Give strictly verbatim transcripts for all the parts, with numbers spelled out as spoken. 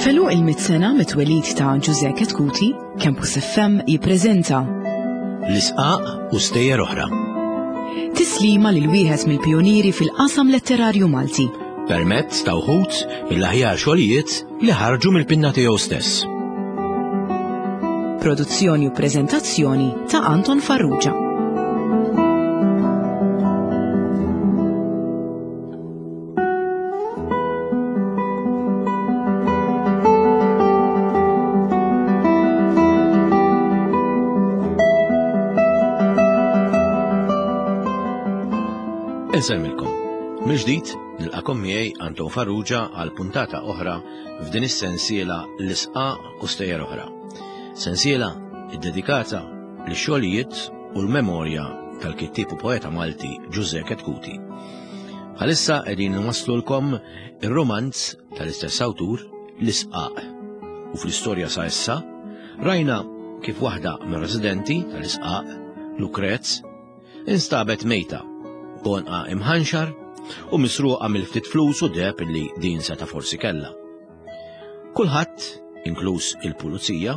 F'għeluq il-mitt sena mit-twelid ta' Ġużè Chetcuti, Campus F M jippreżenta L-Isqaq u Stejjer Oħra. Tislima lil wieħed mill-pionieri fil-qasam letterarju Malti. Permezz ta' wħud mill-aħjar xogħlijiet li ħarġu mill-pinna tiegħu stess. Produzzjoni u preżentazzjoni ta' Anton Farrugia. Insellmilkom. Mill-ġdid nilqakom miegħi Anton Farrugia għal puntata oħra f'din is-sensiela L-Isqaq u Stejjer Oħra. Sensiela iddedikata lix-xogħlijiet u l-memorja tal-kittieb u poeta Malti Ġużè Chetcuti. Bħalissa qegħdin nwaslulkom ir-romanz tal-istess awtur L-Isqaq. U fl-istorja sa issa rajna kif waħda mir-residenti tal-Isqaq, Lukrez, instabet mejta b'għonqha imħanxar u misruqa mill-ftit flus u deheb li din seta' forsi kellha. Kulħadd, inkluż il-pulizija,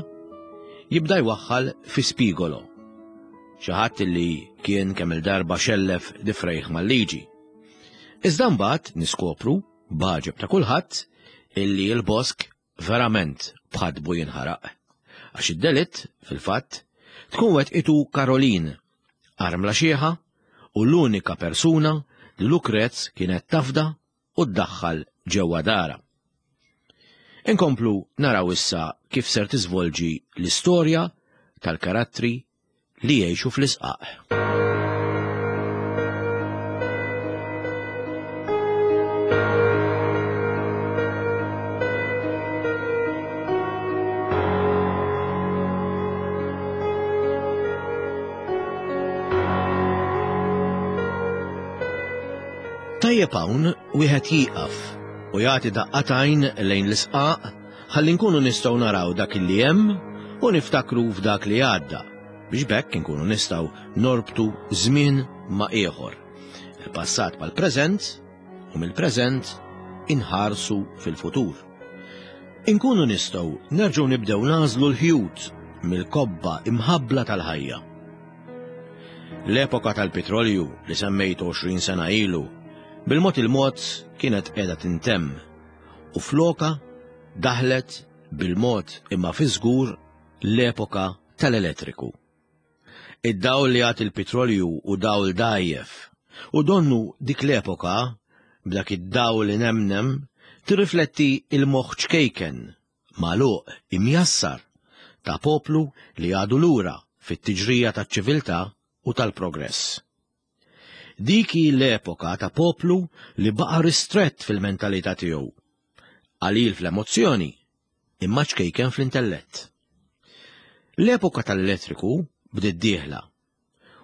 jibda jwaħħal fi Spigolo, xi ħadd li kien kemm il-darba xellef difrejh mal-liġi. Iżda mbagħad niskopru, b'għaġeb ta' kulħadd, illi l-bosk verament bħadbu jinħaraq. Għax id-delitt, fil-fatt, tkun wettqitu Caroline, armla xieħa u l-unika persuna li Lukrez kienet tafda u ddaħħal ġewwa dara. Inkomplu naraw issa kif ser tiżvolġi l-istorja tal-karattri li jgħixu fl-isqaq. Tajjeb hawn wieħed jieqaf u jagħti daqqa t'għajn lejn l-isqaq ħalli nkunu nistgħu naraw dak li hemm u niftakru f'dak li għadda biex b'hekk inkunu nistgħu norbtu żmien ma' ieħor. Il-passat mal-preżent u mill-preżent inħarsu fil-futur. Inkunu nistgħu nerġgħu nibdew nagħżlu l-ħjut mill-kobba imħabbla tal-ħajja. L-epoka tal-petrolju li semmejt għoxrin sena ilu bil-mod il-mod kienet qiegħda tintemm u floka daħlet bil-mod imma fi żgur l-epoka tal-elettriku. Id-dawl li jagħti l-petrolju u dawl dgħajjef u donnu dik l-epoka b'dak id-dawl li nemnem tirrifletti il-moħħ ċkejken magħluq imjassar ta' poplu li għadu lura fit-tiġrija taċ-ċiviltà u tal-progress. Dik hi l-epoka ta' poplu li baqa' ristrett fil-mentalità tiegħu, qalil fl-emozzjoni, imma ċkejken fl-intellett. L-epoka tal-elettriku bdiet dieħla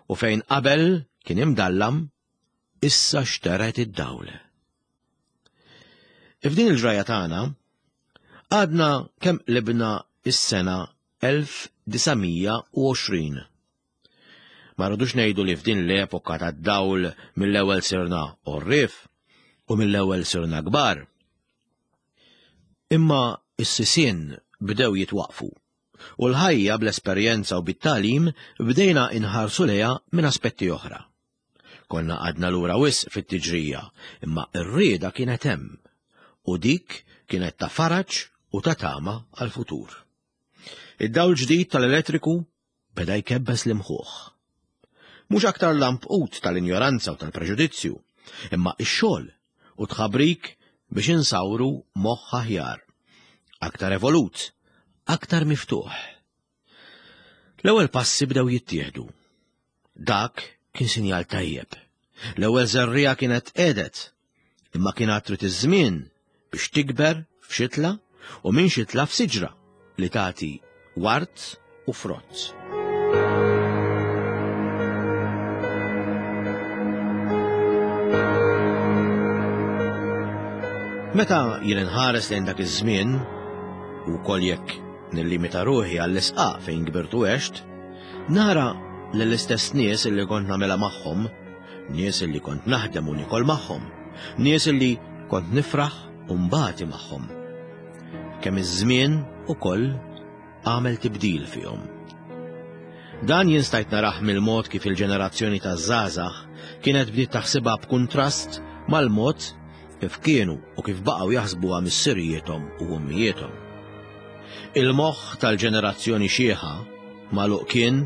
u fejn qabel kien imdallam, issa xteret id-dawl. F'din il-ġraja tagħna għadna kemm qlibna is-sena elf disa' mija u għoxrin. Ma rridux ngħidu li f'din l-epoka tad-dawl mill-ewwel sirna għorrief u mill-ewwel sirna kbar. Imma s-sisien bdew jitwaqfu u l-ħajja bl-esperjenza u bit-tagħlim bdejna inħarsu lejha minn aspetti oħra. Konna għadna lura wisq fit-tiġrija, imma r-rieda kienet hemm u dik kienet ta' faraġ u ta' tama għal-futur. Id-dawl ġdid tal-elettriku beda jkebbes l-imħuħ. Mhux aktar lampqut tal-injoranza u tal-preġudizzju, imma x-xogħol u tħabrik biex insawru moħħ aħjar, aktar evolut, aktar miftuħ. L-ewwel passi bdew jittieħdu. Dak kien sinjal tajjeb. L-ewwel żerriegħa kienet qiegħdet, imma kien għad trid iż-żmien biex tikber f'xitla u minn xitla f'siġra li tagħti wart u frott. Meta jien inħares lejn dak iż-żmien, u wkoll jekk nillimita ruħi għall-isqaq fejn kbirtu għext, nara lill-istess nies illi kont nagħmilha magħhom, nies illi kont naħdem u nikol magħhom, nies illi kont nifraħ u mbati magħhom. kemm iż-żmien ukoll għamel tibdil fihom. Dan jien stajt narah mill-mod kif il-ġenerazzjoni taż-żgħażagħ kienet bdiet taħsibha b'kuntrast mal-mod kif kienu u kif baqgħu jaħsbuha missirijiethom u ommijiethom. Il-moħħ tal-ġenerazzjoni xieħa magħluq kien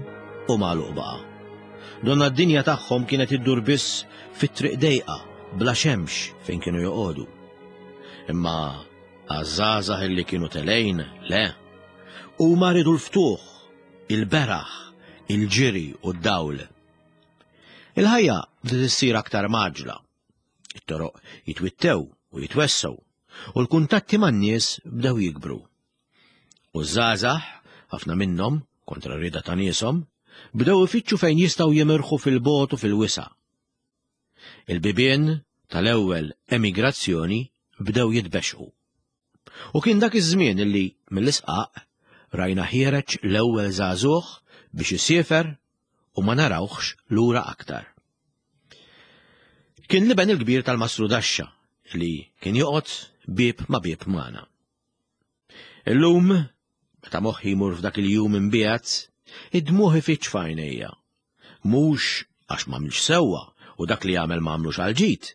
u magħluq baqa'. Donna d-dinja tagħhom kienet iddur biss fit-triq dejqa bla xemx fejn kienu joqogħdu. Imma għaż-żgħażagħ illi kienu telejn, le. Huma riedu l-ftuħ, il-beraħ, il-ġiri u d-dawl. Il-ħajja bdiet issir aktar mgħaġġla. It-toroq jitwittew u jitwessgħu u l-kuntatti man-nies bdew jikbru. U ż-żgħażagħ, ħafna minnhom, kontra r-rieda ta' nieshom, bdew ifittxu fejn jistgħu jimirħu fil-bogħod u fil-wisa'. Il-bibien tal-ewwel emigrazzjoni bdew jitbexxqu. U kien dak iż-żmien illi mill-isqaq rajna ħiereġ l-ewwel żagħżugħ biex isiefer u ma narawhx lura aktar. Kien l-iben il-kbir tal-Mastru Daxxa li kien joqgħod bieb ma' bieb magħna. Illum, meta moħħi jmur f'dak il-jum imbiegħed, id-dmugħ ifiġġ f'għajnejja. Mhux għax m'għamilx sewwa u dak li għamel m'għamlux għal ġid,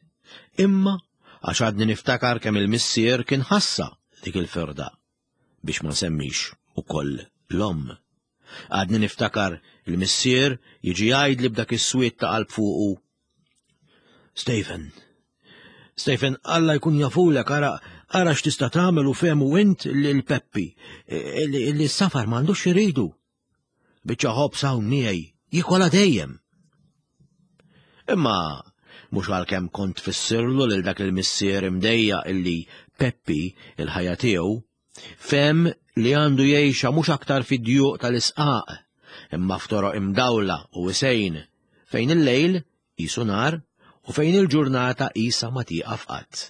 imma għax għadni niftakar kemm il-missier kien ħassa dik il-firda, biex ma nsemmix ukoll l-omm. Għadni niftakar il-missier jiġi jgħidli b'dak is-swied ta' qalb fuqu. Stephen, Stephen, Alla jkun jafulek, ara, ara x'tista' tagħmel u fehmu int lil Peppi, li s-safar m'għandux iridu. Biċċa ħobż hawn miegħi, jikola dejjem. Imma mhux għalkemm kont fissirlu lil dak il-missier imdejja illi Peppi, il-ħajja tiegħu, fehem li għandu jgħixha mhux aktar fid-djuq tal-isqaq, imma f'toroq imdawla u wisejn, fejn il-lejl qisu nar u fejn il-ġurnata qisha ma tieqaf qatt.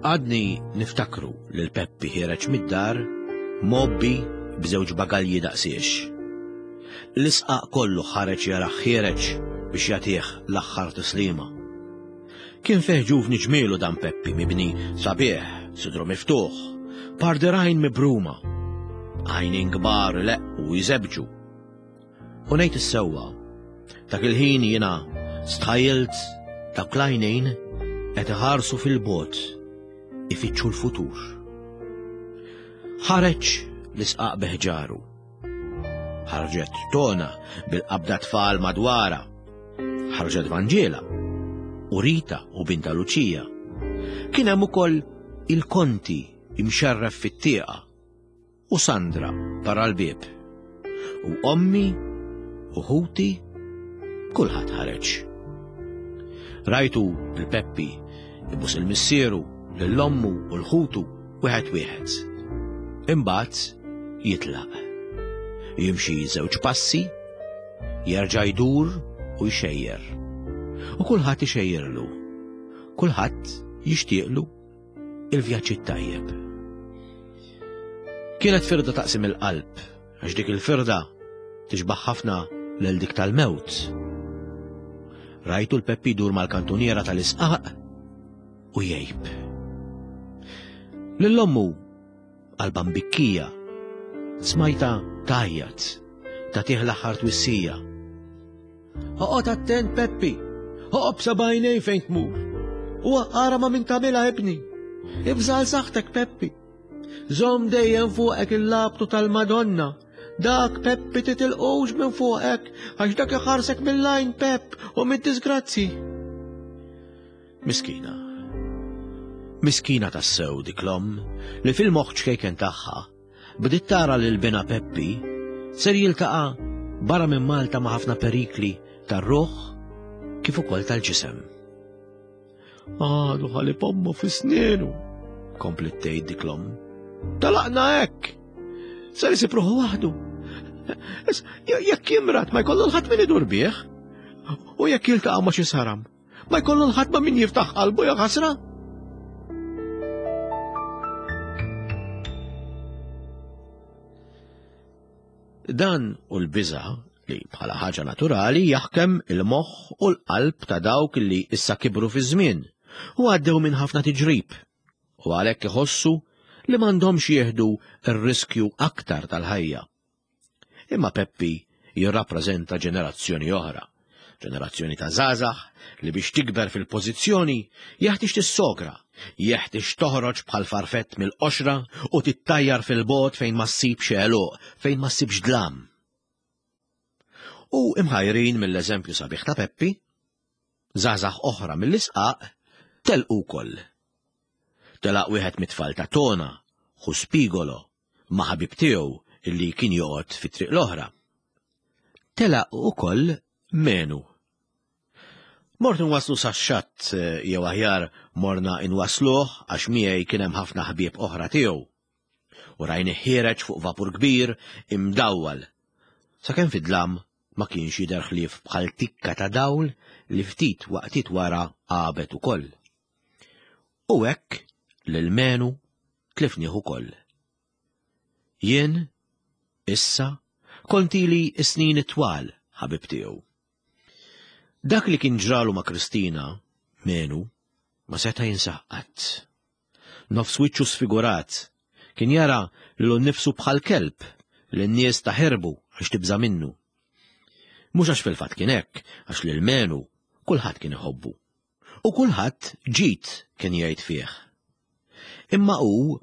Għadni niftakru lil Peppi ħiereġ mid-dar mgħobbi b'żewġ bagalji daqsiex. L-isqaq kollu ħareġ jarah ħiereġ biex jagħtih l-aħħar tislima. Kien fih ġuvni ġmielu dan Peppi mibni sabiħ, sidru miftuħ, par dirgħajn mibruma, għajnejn kbar ileqqu u jżebġu. U ngħid is-sewwa, dak il-ħin jiena stħajjilt dawk l-għajnejn qed iħarsu fil-bogħod ifittxu l-futur. Ħareġ l-isqaq beħġaru. Ħarġet Tona bil-qabda tfal madwara. Ħarġet Vanġela u Rita u binta Luċija. Kien hemm ukoll il-Konti imxerref fit-tieqa u Sandra barra l-bieb. U ommi u ħuti kulħadd ħareġ. Rajtu il-Peppi ibus il-missieru lill-ommu u l-ħutu wieħed wieħed. Imbagħad jitlaq. Jimxi żewġ passi, jerġa' jdur u jxejjer. U kulħadd ixejjerlu. Kulħadd jixtieqlu il-vjaġġ it-tajjeb. Kienet firda taqsim il-qalb, għax dik il-firda tixbaħ ħafna lil dik tal-mewt. Rajtu l-Peppi jdur mal-kantuniera tal-isqaq u jgħib. Lill-ommu qalba mbikkija, smajta tgħajjat, tagħtih l-aħħar twissija. Oqgħod attent Peppi, oqgħod b'sebgħajnejn fejn tmur. U ara ma' min tagħmilha ibni. Ibża' għal saħħtek Peppi. Żomm dejjem fuqek il-labtu tal-Madonna. Dak Peppi titilqux minn fuqek, għax dak iħarsek mill-għajn Pepp u mid-disgrazzi. Miskina. Miskina tassew dik l-omm li fil-moħħ ċkejken tagħha bdiet tara lil binha Peppi ser jiltaqa' barra minn Malta ma' ħafna perikli tar-ruħ kif ukoll tal-ġisem. Għadu ħalib ommu fi snienu, komplet tgħid dik l-omm. Talaqna hekk. Ser isib ruħu waħdu. Jekk jimrad ma jkollu l-ħadd min idur bih. U jekk jiltaqa' ma' xi saram, ma jkollu l-ħadd ma' min jiftaħ qalbu ja ħasra. Dan u l-biża' li bħala ħaġa naturali jaħkem il-moħħ u l-qalb ta' dawk li issa kibru fi żmien u għaddew minn ħafna tiġrib u għalhekk iħossu li m'għandhomx jieħdu r-riskju aktar tal-ħajja. Imma Peppi jirrappreżenta ġenerazzjoni oħra, ġenerazzjoni ta' żgħażagħ li biex tikber fil-pożizzjoni jeħtieġ tissogra, jeħtieġ toħroġ bħal farfett mill-qoxra u tittajjar fil-bogħod fejn ma ssibx għeluq, fejn ma ssibx dlam. U imħajrin mill-eżempju sabiħ ta' Peppi, żgħażagħ oħra mill-isqaq telqu wkoll. Telaq wieħed mit-tfal ta' Tona, ħu Spigolo, ma' ħabib tiegħu illi kien joqgħod fit-triq l-oħra. Telaq ukoll Menu. Mort nwaslu sax-xatt jew aħjar morna inwasluh għax miegħi kien hemm ħafna ħbieb oħra tiegħu. U rajni ħiereġ fuq vapur kbir imdawwal. Sakemm fid-dlam ma kienx jidher ħlief bħal tikka ta' dawl li ftit waqtiet wara għabet ukoll. U hekk lil Menu tlifnieh ukoll. Jien issa kont ili snin twal ħabib tiegħu. Dak li kien ġralu ma' Kristina, Menu, ma seta' jinsah qatt. Nofs wiċċu sfigurat, kien jara lilu nnifsu bħal kelb li n-nies taħirbu għax tibża' minnu. Mhux għax fil-fatt kien hekk, għax lil Menu kulħadd kien iħobbu. U kulħadd ġid kien jgħid fih. Imma hu,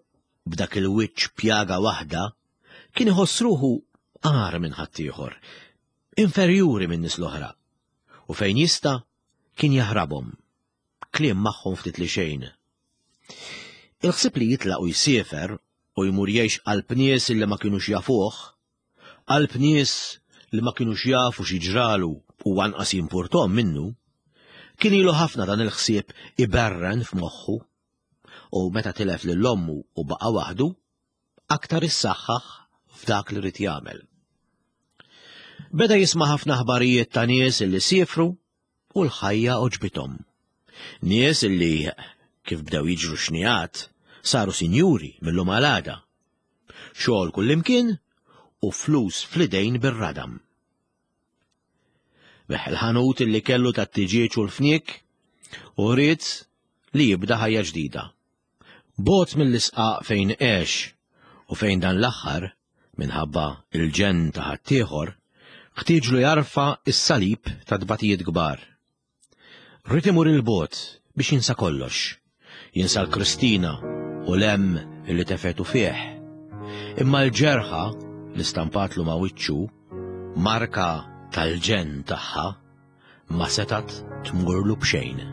b'dak il-wiċċ pjaga waħda, kien iħoss ruħu agħar minn ħaddieħor, inferjuri minn nies l-oħra. U fejn jista' kien jaħrabhom, kliem magħhom ftit li xejn. Il-ħsieb li jitlaq u jsiefer u jmur jgħix qalb nies li ma kinux jafuh, qalb nies li ma kinux jafu xi ġralu u anqas jimpurtom minnu, kien ilu ħafna dan il-ħsieb iberren f'moħħu. U meta tilef lil ommu u baqa' waħdu, aktar issaħħaħ f'dak li rid jagħmel. Beda jisma' ħafna aħbarijiet ta' nies illi siefru u l-ħajja għoġbithom. Nies illi, kif bdew jiġru xnijat, saru sinjuri mill-lum għal għada. Xogħol kullimkien u flus fl-idejn bir-radam. Beħ il-ħanut illi kellu tat-tiġieġ u l-fniek u ried li jibda ħajja ġdida. Bogħod mill-isqaq fejn għex u fejn dan l-aħħar, minħabba il-ġenn ta' ħaddieħor, ħtieġlu jarfa' s-salib ta' tbatijiet kbar. Ried imur il-bogħod biex jinsa kollox, jinsa l-Kristina u l-hemm illi tefetu fih. Imma l-ġerħa li stampatlu ma' wiċċu, marka tal-ġenn tagħha, ma setat tmurlu b'xejn.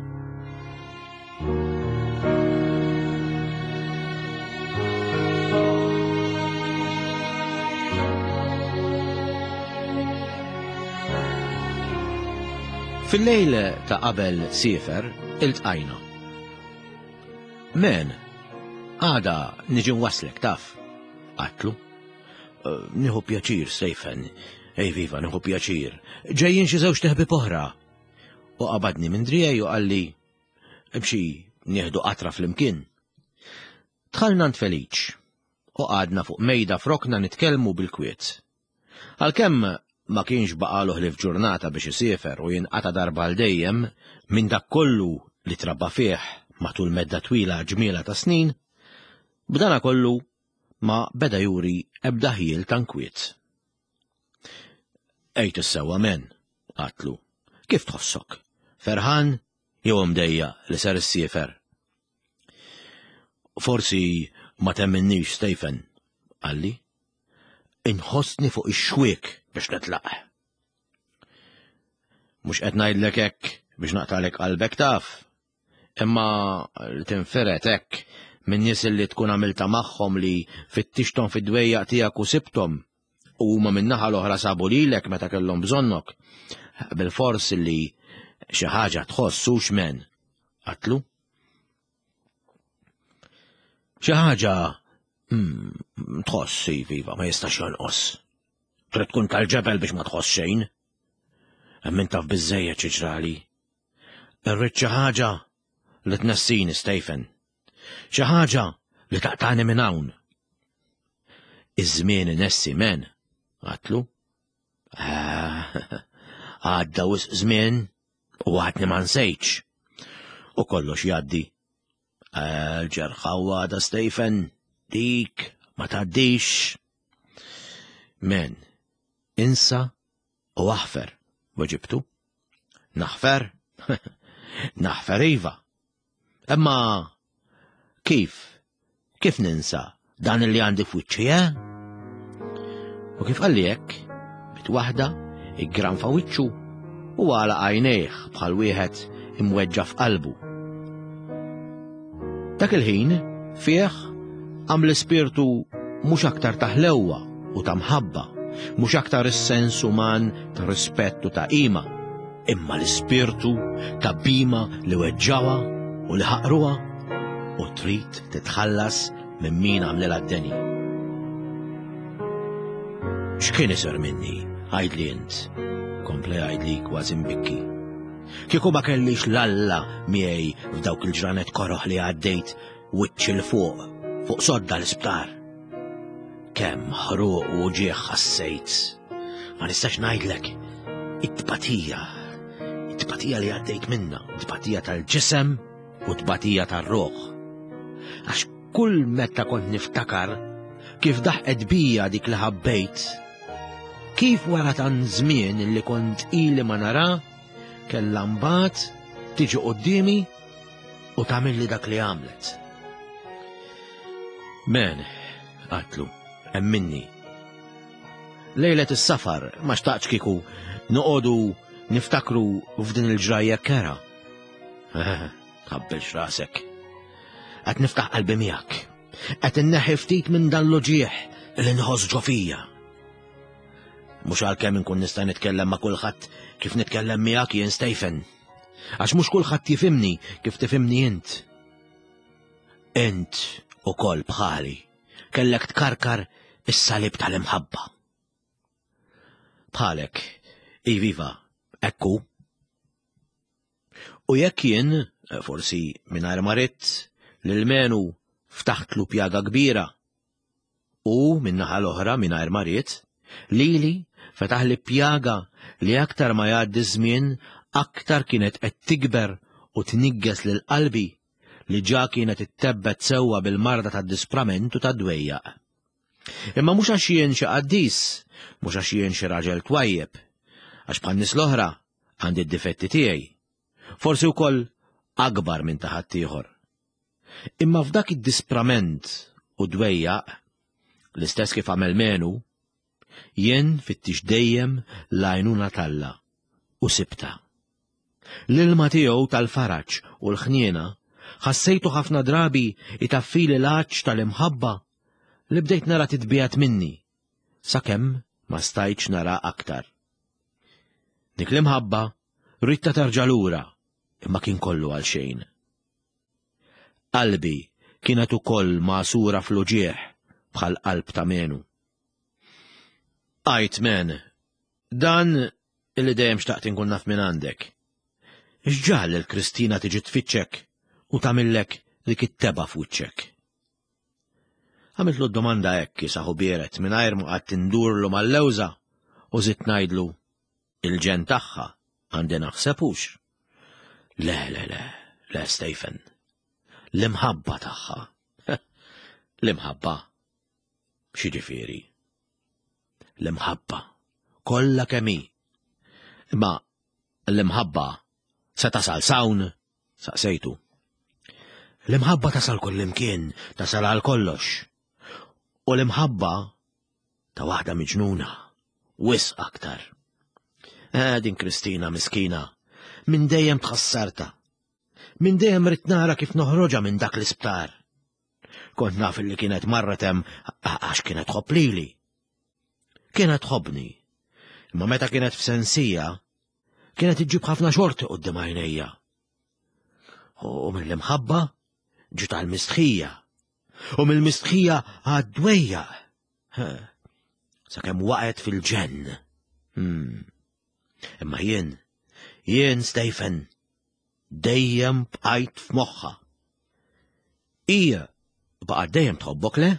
Fil-lejl ta' qabel siefer, iltqajna. Men, għada niġi nwaslek taf, għatlu. Nieħu pjaċir, Stephen. Ej viva, nieħu pjaċir. Ġejjin xi żewġ teħbib oħra. U qabadni minn driegħi u qalli, imxi nieħdu qatra flimkien. Dħalna għand Feliċ u qgħadna fuq mejda frokna nitkellmu bil-kwiet. Għalkemm ma kienx baqalu ħlief ġurnata biex isiefer u jinqata' darba għal dejjem minn dak kollu li trabba fih matul medda twila ġmiela ta' snin, b'dana kollu ma beda juri ebda ħiel ta' nkwiet. Ejt is-sewwa men, għatlu, kif tħossok? Ferħan jew imdejjaq li ser issiefer? Forsi ma temminnix, Stephen, qalli. Inħossni fuq ix-xwiek biex nitlaq. Mhux qed ngħidlek hekk biex naqtalek qalbek taf, imma li tinferet hekk minn nies li tkun għamilta magħhom li fittixthom fid-dwejjaq tiegħek u sibthom u huma min-naħa l-oħra sabu lilek meta kellhom bżonnok, bil-fors li xi ħaġa tħoss hux men, għatlu. Xi ħaġa tħoss, iva, ma jistax jonqos. Trid tkun tal-ġebel biex ma tħoss xejn. Hemm min taf biżżejjed xi ġrali. Irrid xi ħaġa li tnessini, Stephen. Xi ħaġa li taqtani minn hawn. Iż-żmien inessi men. Għatlu. Ah, għadda wisq żmien u għadni ma nsejtx. U kollox jgħaddi. L-ġerħa għadha, Stephen, dik ma tgħaddix. Men, insa u aħfer, weġibtu. Naħfer? Naħfer iva. Imma kif? Kif ninsa dan li għandi f'wiċċi, eh? U kif qalli hekk, bit waħda iggranfa wiċċu u għalaq għajnejh bħal wieħed imweġġa' f'qalbu. Dak il-ħin fih qam l-ispirtu mhux aktar ta' ħlewwa u ta' mħabba, mhux aktar is-sens uman ta' rispett u ta' qima, imma l-ispirtu ta' bhima li weġġawha u li ħaqruha u trid titħallas minn min għamlilha d-deni. X'kien isir minni, għidli int, kompla jgħidli kważi mbikki. Kieku ma kellix 'l Alla miegħi f'dawk il-ġranet koroħ li għaddejt wiċċi 'l fuq, fuq sodda l-isptar. Kemm ħruq u ġieħ ħassejt. Ma nistax ngħidlek, it-tbatija, it-tbatija li għaddejt minna, tbatija tal-ġisem u tbatija tal-ruħ. Għax kull meta kont niftakar kif daħqet bija dik li ħabbejt, kif wara tant żmien li kont ili ma nara, kellha mbagħad tiġi quddiemi u tagħmilli dak li għamlet. Men, għatlu, emminni. Lejlet is-safar ma xtaqtx kieku noqogħdu niftakru f'din il-ġrajja kerha. Tħabbilx rasek. Qed niftaħ qalbi miegħek. Qed inneħħi ftit minn dan l-uġigħ li nħoss ġo fija. Mhux għalkemm inkun nista' nitkellem ma' kulħadd kif nitkellem miegħek jien, Stephen. Għax mhux kulħadd jifhimni kif tifhimni int. Int ukoll bħali kellek tkarkar is-salib tal-imħabba. Bħalek, iviva, ekku. U jekk jien, forsi mingħajr ma ridt, lil Menu ftaħtlu pjaga kbira. U min-naħa l-oħra mingħajr ma ridt, lili fetaħli pjaga li aktar ma jgħaddi żmien aktar kienet qed tikber u tnigges lil qalbi li ġa kienet ittebbet sewwa bil-marda tad-disprament u tad-dwejjaq. Imma mhux għax jien xi qaddis, mhux għax jien xi raġel twajjeb, għax bħan-nies l-oħra għandi d-difetti tiegħi. Forsi wkoll akbar minn ta' ħaddieħor. Imma f'dak id-disprament u dwejjaq, l-istess kif għamel Menu, jien fittixt dejjem l-għajnuna t'Alla u sibtha. L-ilma tiegħu tal-faraġ u l-ħniena ħassejtu ħafna drabi itaffili l-għatx tal-imħabba li bdejt nara titbiegħed minni, sakemm ma stajtx nara aktar. Dik l-imħabba ridtha terġa' lura, imma kien kollu għal xejn. Qalbi kienet ukoll magħsura fl-uġigħ bħal qalb ta' Menu. Għajt men, dan illi dejjem xtaqt inkun naf minn għandek. X'ġagħal lil Kristina tiġi tfittxek u tagħmillek dik it-tebgħa f'wiċċek? Għamiltlu d-domanda hekk kiesaħ u biered mingħajr ma qgħadt indurlu mal-lewża u żidt ngħidlu il-ġenn tagħha għandi naħseb hux. Le, le, le, le, Stephen. L-imħabba tagħha. L-imħabba. X'jiġifieri? L-imħabba. Kollha kemm hi. Imma l-imħabba se tasal s'hawn, saqsejtu. L-imħabba tasal kullimkien, tasal għal kollox. U l-imħabba ta' waħda miġnuna, wisq aktar. Eh, din Kristina miskina, minn dejjem tħassartha. Minn dejjem ridt nara kif noħroġha minn dak l-isptar. Kont naf li kienet marret hemm għax kienet tħobb lili. Kienet tħobbni. Imma meta kienet f'sensija, kienet iġġib ħafna xorti quddiem għajnejja. U mill-imħabba ġiet għall-mistħija. U mill-mistħija għad-dwejjaq. Sakemm waqgħet fil-ġenn. Hmm. Imma jien, jien Stephen, dejjem bqajt f'moħħha. Hija baqgħet dejjem tħobbok, le?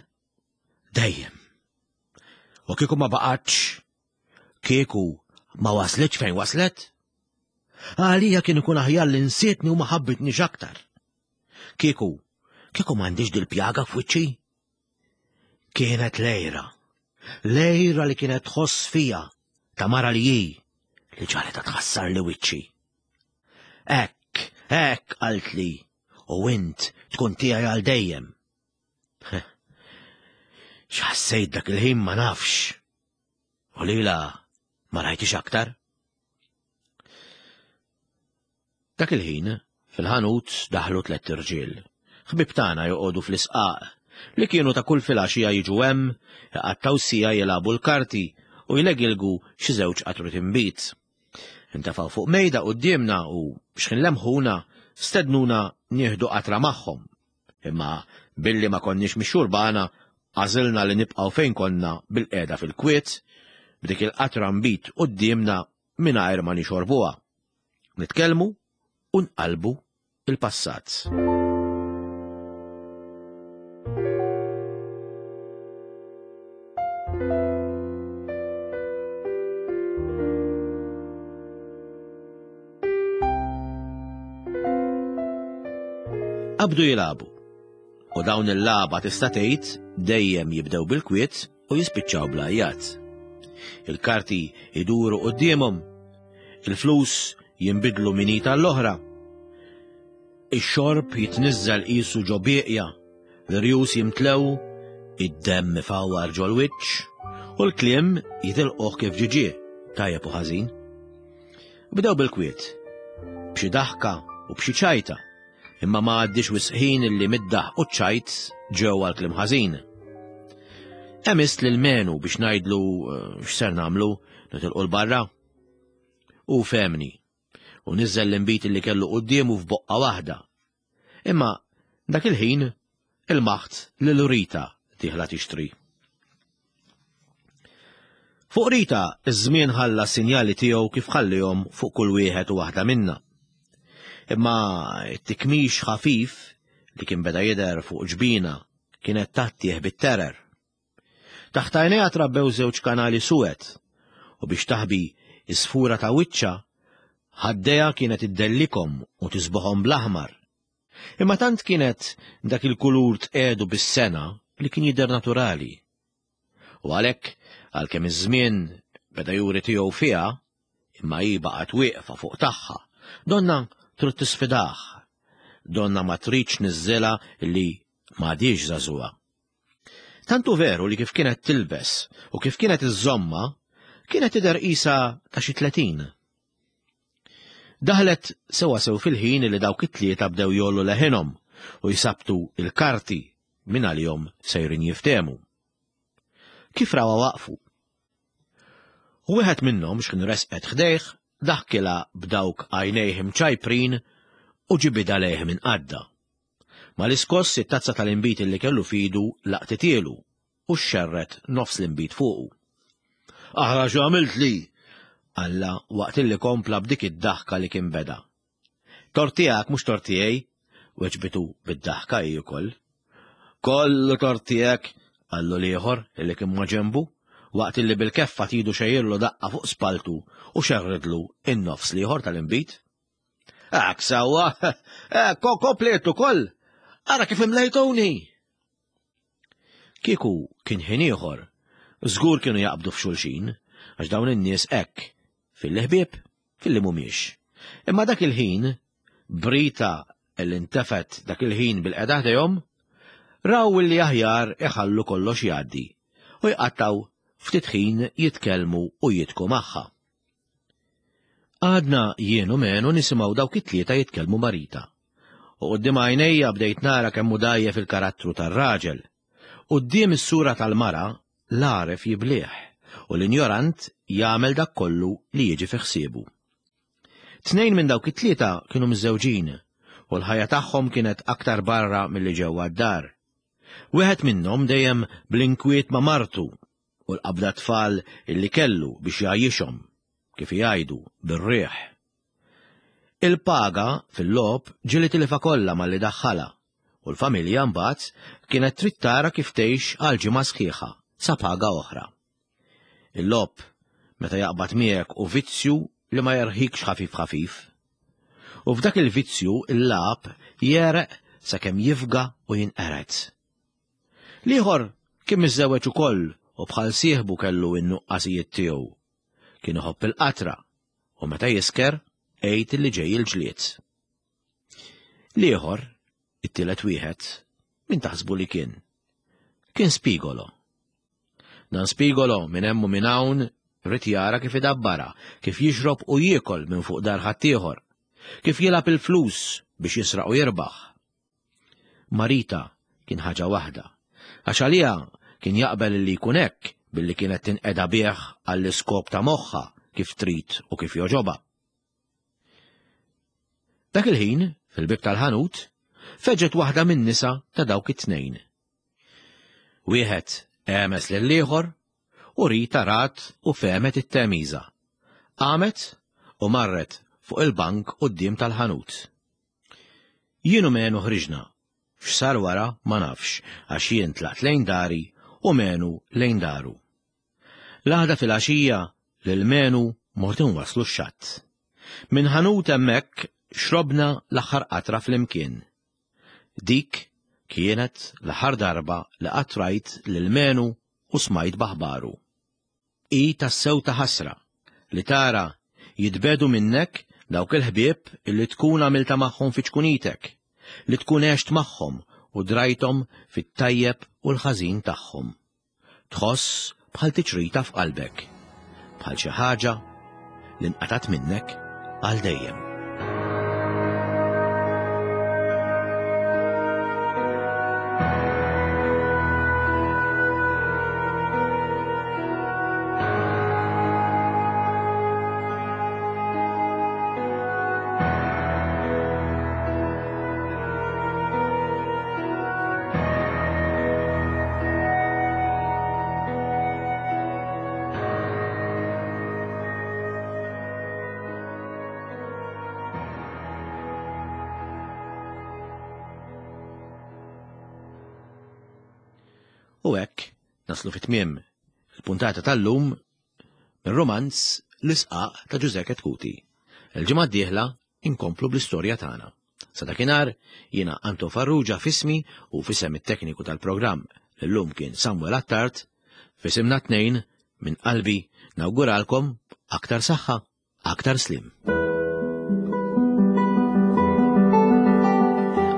Dejjem. U kieku ma baqgħetx, kieku ma waslitx fejn waslet? Għalija kien ikun aħjar li nsietni u ma ħabbitnix aktar. Kieku, kieku m'għandix dil-pjaga f'wiċċi? Kienet lejra, lejra li kienet tħoss fija ta' mara li hi li ġalet tħassar li wiċċi. Hekk, hekk qaltli, u int tkun tiegħi għal dejjem. X'ħassejt dak il-ħin ma nafx. U lila ma rajtix aktar. Dak il-ħin, fil-ħanut daħlu tlett irġiel. Ħbieb tagħna joqogħdu fl-isqaq li kienu ta' kull filgħaxija jiġu hemm, iqattgħu siegħa jilagħbu l-karti u jlegilgu xi żewġ qatru tinbid. Intefgħu fuq mejda quddiemna u x'ħin lemħuna stednuna nieħdu qatra magħhom. Imma billi ma konniex mix-xurbana, għażilna li nibqgħu fejn konna bil-qiegħda fil-kwiet, b'dik il-qatra nbid quddiemna mingħajr ma nixorbuha. Nitkellmu u nqalbu il-passat. Qabdu jilagħbu. U dawn il-lagħba tista' tgħid dejjem jibdew bil-kwiet u jispiċċaw bl-għajjat. Il-karti iduru quddiemhom, il-flus jinbidlu minn id għall-oħra. Ix-xorb jitniżżel qisu ġo bieqja, l-irjus jimtlew, id-demm ifawwar ġol-wiċċ u l-kliem jitilquh kif ġie ġie, tajjeb u ħażin. Bdew bil-kwiet, b'xi daħka u b'xi ċajta, imma ma għaddix wisq ħin illi mid-daħq u ċ-ċajt ġew għal kliem ħażin. Emist lil Menu biex ngħidlu x'ser nagħmlu, nitilqu l-barra. U fehmni, u niżel l-inbid li kellu quddiemu f'boqqa waħda. Imma dak il-ħin il-maħt lil Rita dieħla tixtri. Fuq Rita iż-żmien ħalla s-sinjali tiegħu kif ħallihom fuq kull wieħed u waħda minna. Imma t-tikmix ħafif li kien beda jidher fuq ġbina kienet tattieħ bit-terer. Taħt għajnejha trabbew żewġ kanali suwed u biex taħbi is-sfura ta' wiċċha ħaddejha kienet iddellikhom u tisboħhom bl-aħmar. Imma tant kienet dak il-kulur tqedu bis-sena li kien jidher naturali. U għalhekk għalkemm iż-żmien beda juri tiegħu fiha, imma hi baqgħet wieqfa fuq tagħha, donna trid tisfidah, donna ma tridx niżżilha li m'għadhiex żagħżugħa. Tantu veru li kif kienet tilbes u kif kienet iżżomma, kienet tidher qisha ta' xi tletin. Daħlet sewa sew fil-ħin li dawk it-tlieta bdew jollu leħinhom u jsabtu il-karti minn għalihom sejrin jiftehmu. Kif rawha waqfu? U wieħed minnhom x'kien resqet ħdejh daħkilha b'dawk għajnejh imċajprin u ġibidha lejh minn qadda. Mal-iskoss it-tazza tal-inbid li kellu fidu laqtitielu u xxerret nofs l-inbid fuqu. Aħra x'għamilt li? Alla waqt illi kompla b'dik id-daħka li kien beda. Tort tiegħek mhux tort tiegħi, weġbitu bid-daħka hi wkoll. Kollu tort tiegħek, qallu l-ieħor illi kien ma' ġenbu, waqt illi bil-keffa tidu xejjirlu daqqa fuq spaltu u xerridlu in-nofs l-ieħor tal-inbid. Hekk sewwa, komplet ukoll, ara kif imlejtuni. Kieku kien ħin ieħor, żgur kienu jaqbdu f'xulxin, għax dawn in-nies hekk, fil-ħbieb, fil-li mhumiex. Imma dak il-ħin, Brita li ntefet dak il-ħin bil-qeda ħdejhom, raw li aħjar iħallu kollox jgħaddi u jqattaw ftit ħin jitkellmu u jitku magħha. Għadna jien u Menu nisimgħu dawk it-tlieta jitkellmu ma' Rita. U quddiem għajnejja bdejt nara kemm hu dgħajjef il-karattru tar-raġel. Quddiem is-sura tal-mara l-għaref jiblieh u l-injorant jagħmel dak kollu li jiġi fi ħsiebu. Tnejn minn dawk it-tlieta kienu miżżewġin u l-ħajja tagħhom kienet aktar barra milli ġewwa d-dar. Wieħed minnhom dejjem bl-inkwiet ma' martu u l-qabda tfal illi kellu biex jgħajjixhom, kif jgħidu, bir-riħ. Il-paga fil-logħob ġieli tilifha kollha malli daħħalha u l-familja mbagħad kienet trid tara kif tgħix għal ġimgħa sħiħa sa paga oħra. Il-logħob meta jaqbad miegħek u vizzju li ma jerħikx ħafif ħafif. U f'dak il-vizzju il-lagħab jereq sakemm jifga u jinqered. L-ieħor kien miżżewweġ ukoll u bħal sieħbu kellu n-nuqqasijiet tiegħu. Kien iħobb il-qatra u meta jisker għid li ġej il-ġlied. L-ieħor, it-tielet wieħed, min taħsbu li kien? Kien Spigolo. Dan Spigolo minn hemm u minn hawn ried jara kif idabbara, kif jixrob u jiekol minn fuq dar ħaddieħor, kif jilgħab il-flus biex jisraq u jirbaħ. Marita kien ħaġa waħda, għax għaliha kien jaqbel li jkun hekk billi kienet tinqeda bih għall-iskop ta' moħħha kif trid u kif jogħġobha. Dak il-ħin, fil-bieb tal-ħanut, feġġet waħda min-nisa ta' dawk it-tnejn. Wieħed għemes lill-ieħor u Rita rat u fehmet it-temiża. Qamet u marret fuq il-bank quddiem tal-ħanut. Jien u Menu ħriġna. X'sar wara ma nafx għax jien tlaqt lejn dari u Menu lejn daru. L-għada fil-għaxija lil Menu mort inwasslu x-xatt. Minn ħanut hemmhekk xrobna l-aħħar qatra flimkien. Dik kienet l-aħħar darba li qatt rajt lil Menu u smajt b'aħbaru. Hi tassew ta' ħasra li tara jitbedu minnek dawk il-ħbieb illi tkun għamilta magħhom fi ċkunitek, li tkun għext magħhom u drajthom fit-tajjeb u l-ħażin tagħhom. Tħoss bħal tiċrita f'qalbek, bħal xi ħaġa li nqatat minnek għal dejjem. U hekk naslu fit-tmiem il-puntata tal-lum mir-romanz L-Isqaq ta' Ġużè Chetcuti. Il-ġimgħa d-dieħla inkomplu bl-istorja tagħna. Sa dakinhar jiena Anton Farrugia f'ismi u f'isem it-tekniku tal-programm li llum kien Samuel Attard, f'isimna tnejn minn qalbi nawguralkom aktar saħħa, aktar slim.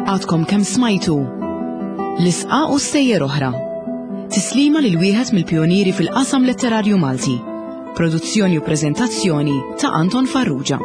Għadkom kemm smajtu L-Isqaq u Stejjer Oħra. Tislima lil wieħed mill-pjonieri fil-qasam letterarju Malti. Produzzjoni u preżentazzjoni ta' Anton Farrugia.